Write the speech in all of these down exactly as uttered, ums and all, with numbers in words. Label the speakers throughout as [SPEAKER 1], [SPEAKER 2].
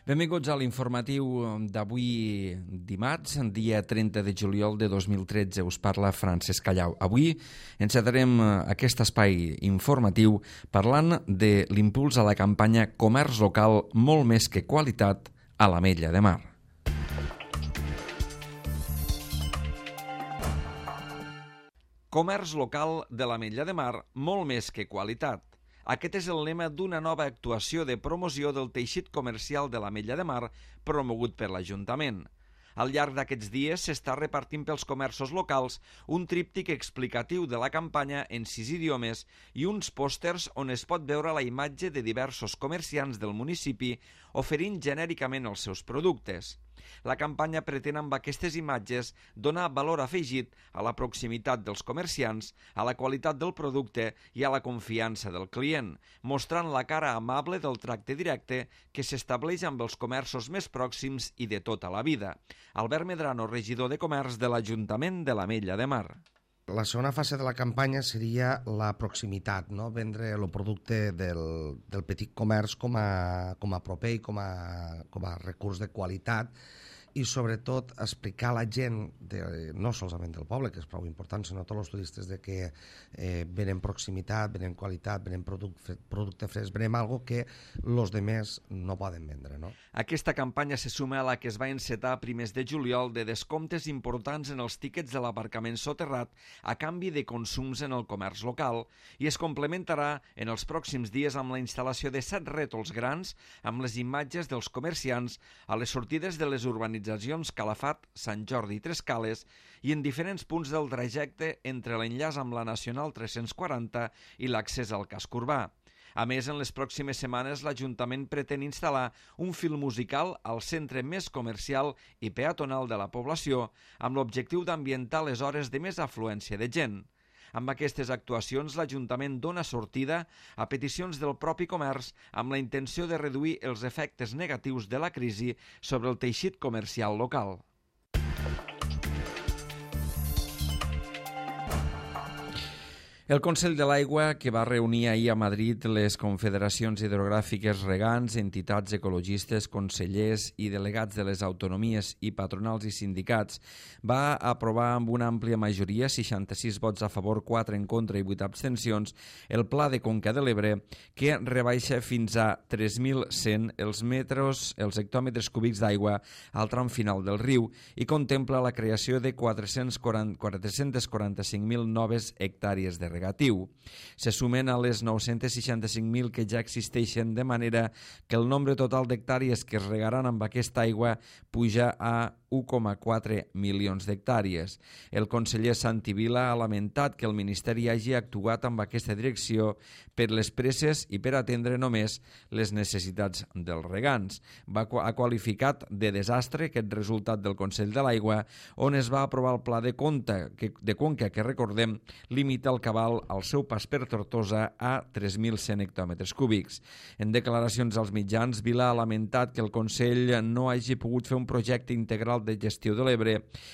[SPEAKER 1] Benvinguts a l'informatiu d'avui dimarts, dia trenta de juliol de dos mil tretze. Us parla Francesc Callau. Avui encetarem aquest espai informatiu parlant de l'impuls a la campanya Comerç local, molt més que qualitat, a l'Ametlla de Mar. Comerç local de l'Ametlla de Mar, molt més que qualitat. Aquest és el lema d'una nova actuació de promoció del teixit comercial de l'Ametlla de Mar promogut per l'Ajuntament. Al llarg d'aquests dies s'està repartint pels comerços locals un tríptic explicatiu de la campanya en sis idiomes i uns pòsters on es pot veure la imatge de diversos comerciants del municipi oferint genèricament els seus productes. La campanya pretén amb aquestes imatges donar valor afegit a la proximitat dels comerciants, a la qualitat del producte i a la confiança del client, mostrant la cara amable del tracte directe que s'estableix amb els comerços més pròxims i de tota la vida. Albert Medrano, regidor de Comerç de l'Ajuntament de l'Ametlla de Mar.
[SPEAKER 2] La segona fase de la campanya seria la proximitat, no? Vendre el producte del, del petit comerç com a, com a proper i com a, com a recurs de qualitat i sobretot explicar a la gent, de, no solament del poble, que és prou important, sinó a tots els turistes, de que eh, venen proximitat, venen qualitat, venen producte, producte fresc, venen algo que els demés no poden vendre. No?
[SPEAKER 1] Aquesta campanya se suma a la que es va encetar a primers de juliol de descomptes importants en els tíquets de l'aparcament soterrat a canvi de consums en el comerç local i es complementarà en els pròxims dies amb la instal·lació de set rètols grans amb les imatges dels comerciants a les sortides de les urbanitzacions Calafat, Sant Jordi i Trescales i en diferents punts del trajecte entre l'enllaç amb la Nacional tres-cents quaranta i l'accés al casc urbà. A més, en les pròximes setmanes l'Ajuntament pretén instal·lar un fil musical al centre més comercial i peatonal de la població amb l'objectiu d'ambientar les hores de més afluència de gent. Amb aquestes actuacions, l'Ajuntament dona sortida a peticions del propi comerç amb la intenció de reduir els efectes negatius de la crisi sobre el teixit comercial local. El Consell de l'Aigua, que va reunir ahir a Madrid les confederacions hidrogràfiques regants, entitats ecologistes, consellers i delegats de les autonomies i patronals i sindicats, va aprovar amb una àmplia majoria, seixanta-sis vots a favor, quatre en contra i vuit abstencions, el Pla de Conca de l'Ebre, que rebaixa fins a tres mil cent els metres, els hectòmetres cúbics d'aigua al tram final del riu i contempla la creació de quatre-cents quaranta-cinc mil noves hectàrees de regatiu. Se sumen a les nou-cents seixanta-cinc mil que ja existeixen, de manera que el nombre total d'hectàrees que es regaran amb aquesta aigua puja a u coma quatre milions d'hectàrees. El conseller Santi Vila ha lamentat que el Ministeri hagi actuat amb aquesta direcció per les presses i per atendre només les necessitats dels regants. Va, ha qualificat de desastre aquest resultat del Consell de l'Aigua, on es va aprovar el Pla de Conca, que, de Conca, que recordem, limita el cabal al seu pas per Tortosa a tres mil cent hectòmetres cúbics. En declaracions als mitjans, Vila ha lamentat que el Consell no hagi pogut fer un projecte integral de gestió de l'Ebre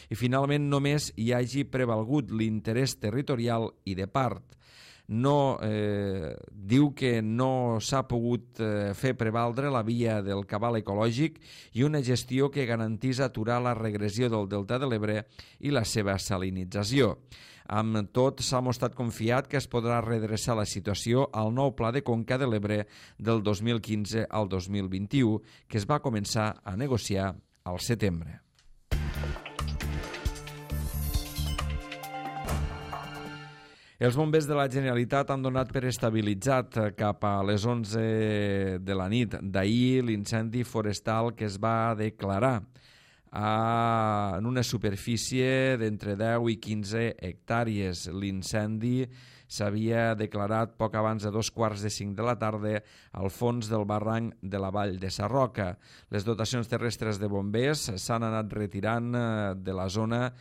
[SPEAKER 1] i finalment només hi hagi prevalgut l'interès territorial i de part. No, eh, diu que no s'ha pogut eh, fer prevaldre la via del cabal ecològic i una gestió que garantís aturar la regressió del delta de l'Ebre i la seva salinització. Amb tot, s'ha mostrat confiat que es podrà redreçar la situació al nou Pla de Conca de l'Ebre del dos mil quinze al dos mil vint-i-u, que es va començar a negociar al setembre. Els bombers de la Generalitat han donat per estabilitzat cap a les onze de la nit d'ahir l'incendi forestal que es va declarar a, en una superfície d'entre deu i quinze hectàrees. L'incendi s'havia declarat poc abans de dos quarts de cinc de la tarda al fons del barranc de la vall de Sarroca. Les dotacions terrestres de bombers s'han anat retirant de la zona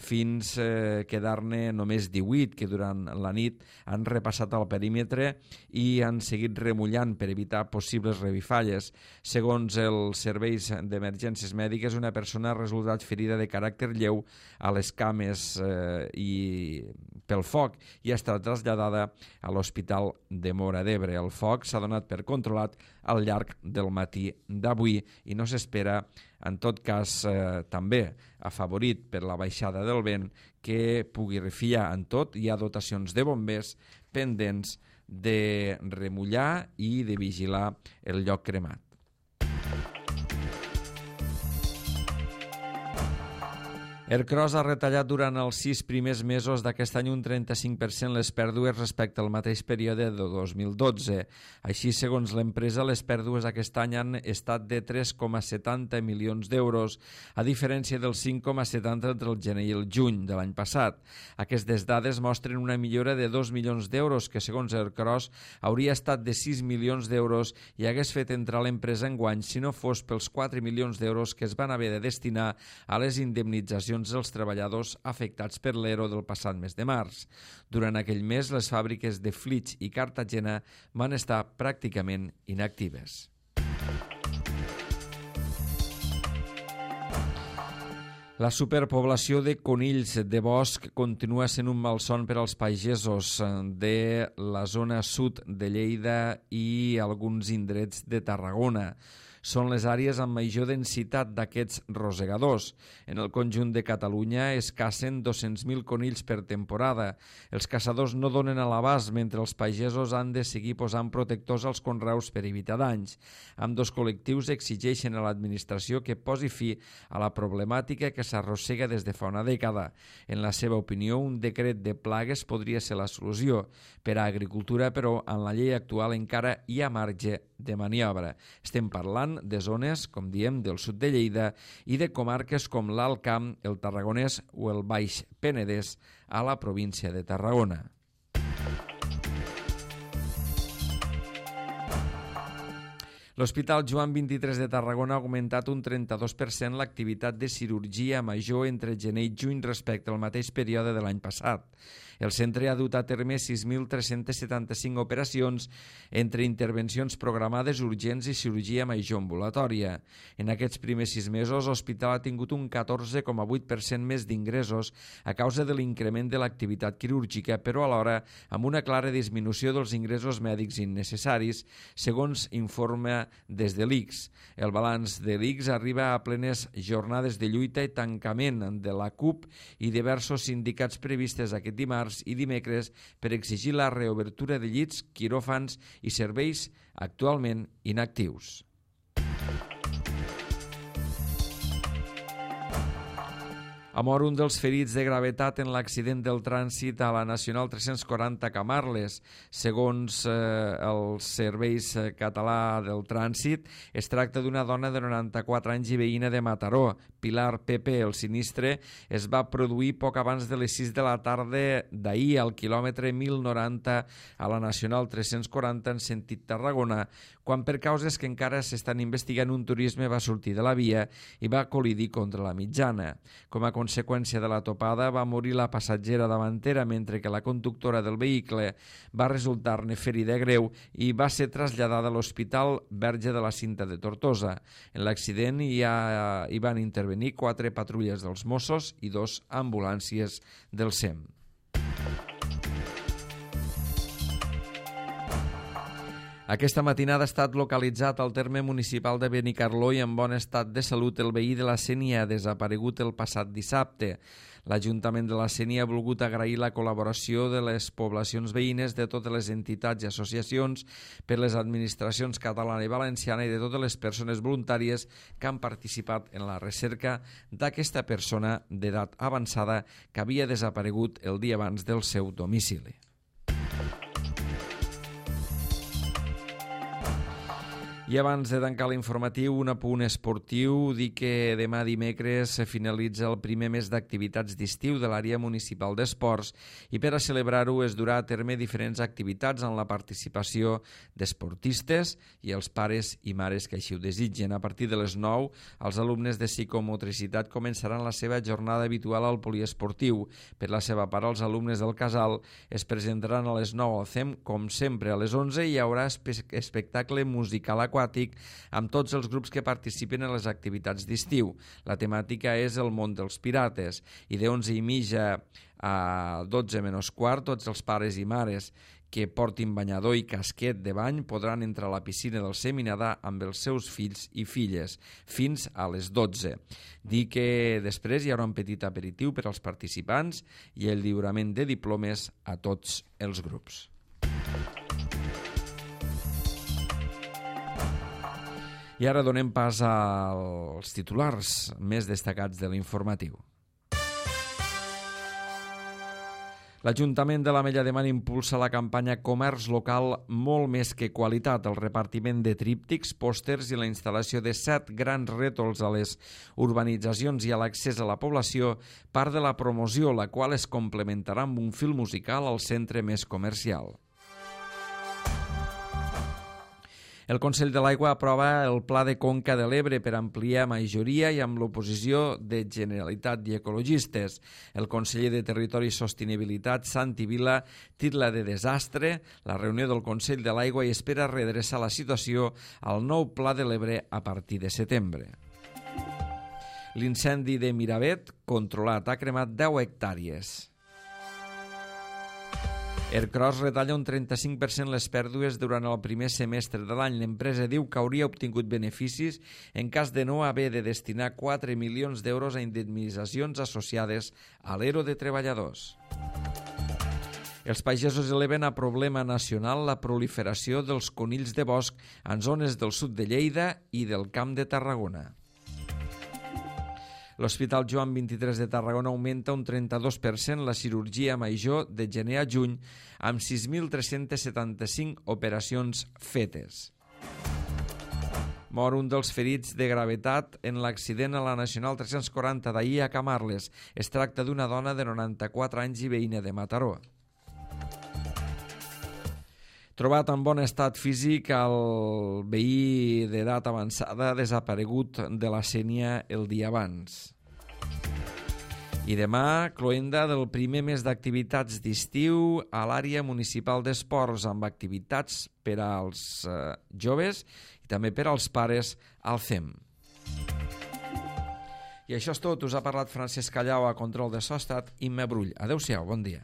[SPEAKER 1] fins eh, quedar-ne només divuit, que durant la nit han repassat el perímetre i han seguit remullant per evitar possibles revifalles. Segons els serveis d'emergències mèdiques, una persona ha resultat ferida de caràcter lleu a les cames eh, i pel foc i ha estat traslladada traslladada a l'Hospital de Móra d'Ebre. El foc s'ha donat per controlat al llarg del matí d'avui i no s'espera, en tot cas, eh, també afavorit per la baixada del vent, que pugui refiar en tot. Hi ha dotacions de bombers pendents de remullar i de vigilar el lloc cremat. Ercros ha retallat durant els sis primers mesos d'aquest any un trenta-cinc per cent les pèrdues respecte al mateix període de dos mil dotze. Així, segons l'empresa, les pèrdues aquest any han estat de tres coma setanta milions d'euros, a diferència del cinc coma setanta entre el gener i el juny de l'any passat. Aquestes dades mostren una millora de dos milions d'euros, que segons Ercros hauria estat de sis milions d'euros i hagués fet entrar l'empresa enguany si no fos pels quatre milions d'euros que es van haver de destinar a les indemnitzacions dels treballadors afectats per l'Ero del passat mes de març. Durant aquell mes, les fàbriques de Flix i Cartagena van estar pràcticament inactives. La superpoblació de conills de bosc continua sent un malson per als pagesos de la zona sud de Lleida i alguns indrets de Tarragona. Són les àrees amb major densitat d'aquests rosegadors. En el conjunt de Catalunya es cacen dos-cents mil conills per temporada. Els caçadors no donen a l'abast, mentre els pagesos han de seguir posant protectors als conreus per evitar danys. Ambdós col·lectius exigeixen a l'administració que posi fi a la problemàtica que s'arrossega des de fa una dècada. En la seva opinió, un decret de plagues podria ser la solució. Per a agricultura, però, en la llei actual encara hi ha marge de maniobra. Estem parlant de zones, com diem, del sud de Lleida i de comarques com l'Alt Camp, el Tarragonès o el Baix Penedès a la província de Tarragona. L'Hospital Joan vint-i-tres de Tarragona ha augmentat un trenta-dos per cent l'activitat de cirurgia major entre gener i juny respecte al mateix període de l'any passat. El centre ha dut a terme sis mil tres-cents setanta-cinc operacions entre intervencions programades urgents i cirurgia major ambulatòria. En aquests primers sis mesos, l'hospital ha tingut un catorze coma vuit per cent més d'ingressos a causa de l'increment de l'activitat quirúrgica, però alhora amb una clara disminució dels ingressos mèdics innecessaris, segons informa des de l'I C S. El balanç de l'I C S arriba a plenes jornades de lluita i tancament de la C U P i diversos sindicats previstes aquest dimarts i dimecres per exigir la reobertura de llits, quiròfans i serveis actualment inactius. Ha mort un dels ferits de gravetat en l'accident del trànsit a la Nacional tres-cents quaranta Camarles. Segons eh, els serveis català del trànsit, es tracta d'una dona de noranta-quatre anys i veïna de Mataró, Pilar Pepe. El sinistre es va produir poc abans de les sis de la tarda d'ahir al quilòmetre mil noranta a la Nacional tres-cents quaranta en sentit Tarragona, quan per causes que encara s'estan investigant un turisme va sortir de la via i va col·lidir contra la mitjana. Com a conseqüència de la topada va morir la passatgera davantera, mentre que la conductora del vehicle va resultar-ne ferida greu i va ser traslladada a l'Hospital Verge de la Cinta de Tortosa. En l'accident hi, ha, hi van intervenir quatre patrulles dels Mossos i dos ambulàncies del S E M. Aquesta matinada ha estat localitzat al terme municipal de Benicarló i en bon estat de salut el veí de la Sénia, desaparegut el passat dissabte. L'Ajuntament de la Sénia ha volgut agrair la col·laboració de les poblacions veïnes, de totes les entitats i associacions, per les administracions catalana i valenciana i de totes les persones voluntàries que han participat en la recerca d'aquesta persona d'edat avançada que havia desaparegut el dia abans del seu domicili. I abans de tancar l'informatiu, un apunt esportiu, dir que demà dimecres finalitza el primer mes d'activitats d'estiu de l'àrea municipal d'esports i per a celebrar-ho es durà a terme diferents activitats amb la participació d'esportistes i els pares i mares que així ho desitgen. A partir de les nou, els alumnes de psicomotricitat començaran la seva jornada habitual al poliesportiu. Per la seva part, els alumnes del Casal es presentaran a les nou al C E M, com sempre a les onze hi haurà espe- espectacle musical a aquàtic amb tots els grups que participen en les activitats d'estiu. La temàtica és el món dels pirates i de onze i mitja a dotze menys quart tots els pares i mares que portin banyador i casquet de bany podran entrar a la piscina del Seminadà amb els seus fills i filles fins a les dotze. Dir que després hi haurà un petit aperitiu per als participants i el lliurament de diplomes a tots els grups. I ara donem pas als titulars més destacats de l'informatiu. L'Ajuntament de l'Ametlla de Mar impulsa la campanya Comerç Local molt més que qualitat, el repartiment de tríptics, pòsters i la instal·lació de set grans rètols a les urbanitzacions i a l'accés a la població, part de la promoció, la qual es complementarà amb un fil musical al centre més comercial. El Consell de l'Aigua aprova el Pla de Conca de l'Ebre per ampliar majoria i amb l'oposició de Generalitat i ecologistes. El conseller de Territori i Sostenibilitat, Santi Vila, titla de desastre la reunió del Consell de l'Aigua i espera redreçar la situació al nou Pla de l'Ebre a partir de setembre. L'incendi de Miravet, controlat, ha cremat deu hectàrees. Ercros retalla un trenta-cinc per cent les pèrdues durant el primer semestre de l'any. L'empresa diu que hauria obtingut beneficis en cas de no haver de destinar quatre milions d'euros a indemnitzacions associades a l'Ero de treballadors. Els pagesos eleven a problema nacional la proliferació dels conills de bosc en zones del sud de Lleida i del Camp de Tarragona. L'Hospital Joan vint-i-tres de Tarragona augmenta un trenta-dos per cent la cirurgia major de gener a juny amb sis mil tres-cents setanta-cinc operacions fetes. Mor un dels ferits de gravetat en l'accident a la Nacional tres-cents quaranta d'ahir a Camarles. Es tracta d'una dona de noranta-quatre anys i veïna de Mataró. Trobat en bon estat físic el veí d'edat avançada desaparegut de la Sénia el dia abans. I demà, cloenda del primer mes d'activitats d'estiu a l'àrea municipal d'esports amb activitats per als eh, joves i també per als pares al C E M. I això és tot. Us ha parlat Francesc Callau, a control de so ha estat Imma Brull. Adéu-siau, bon dia.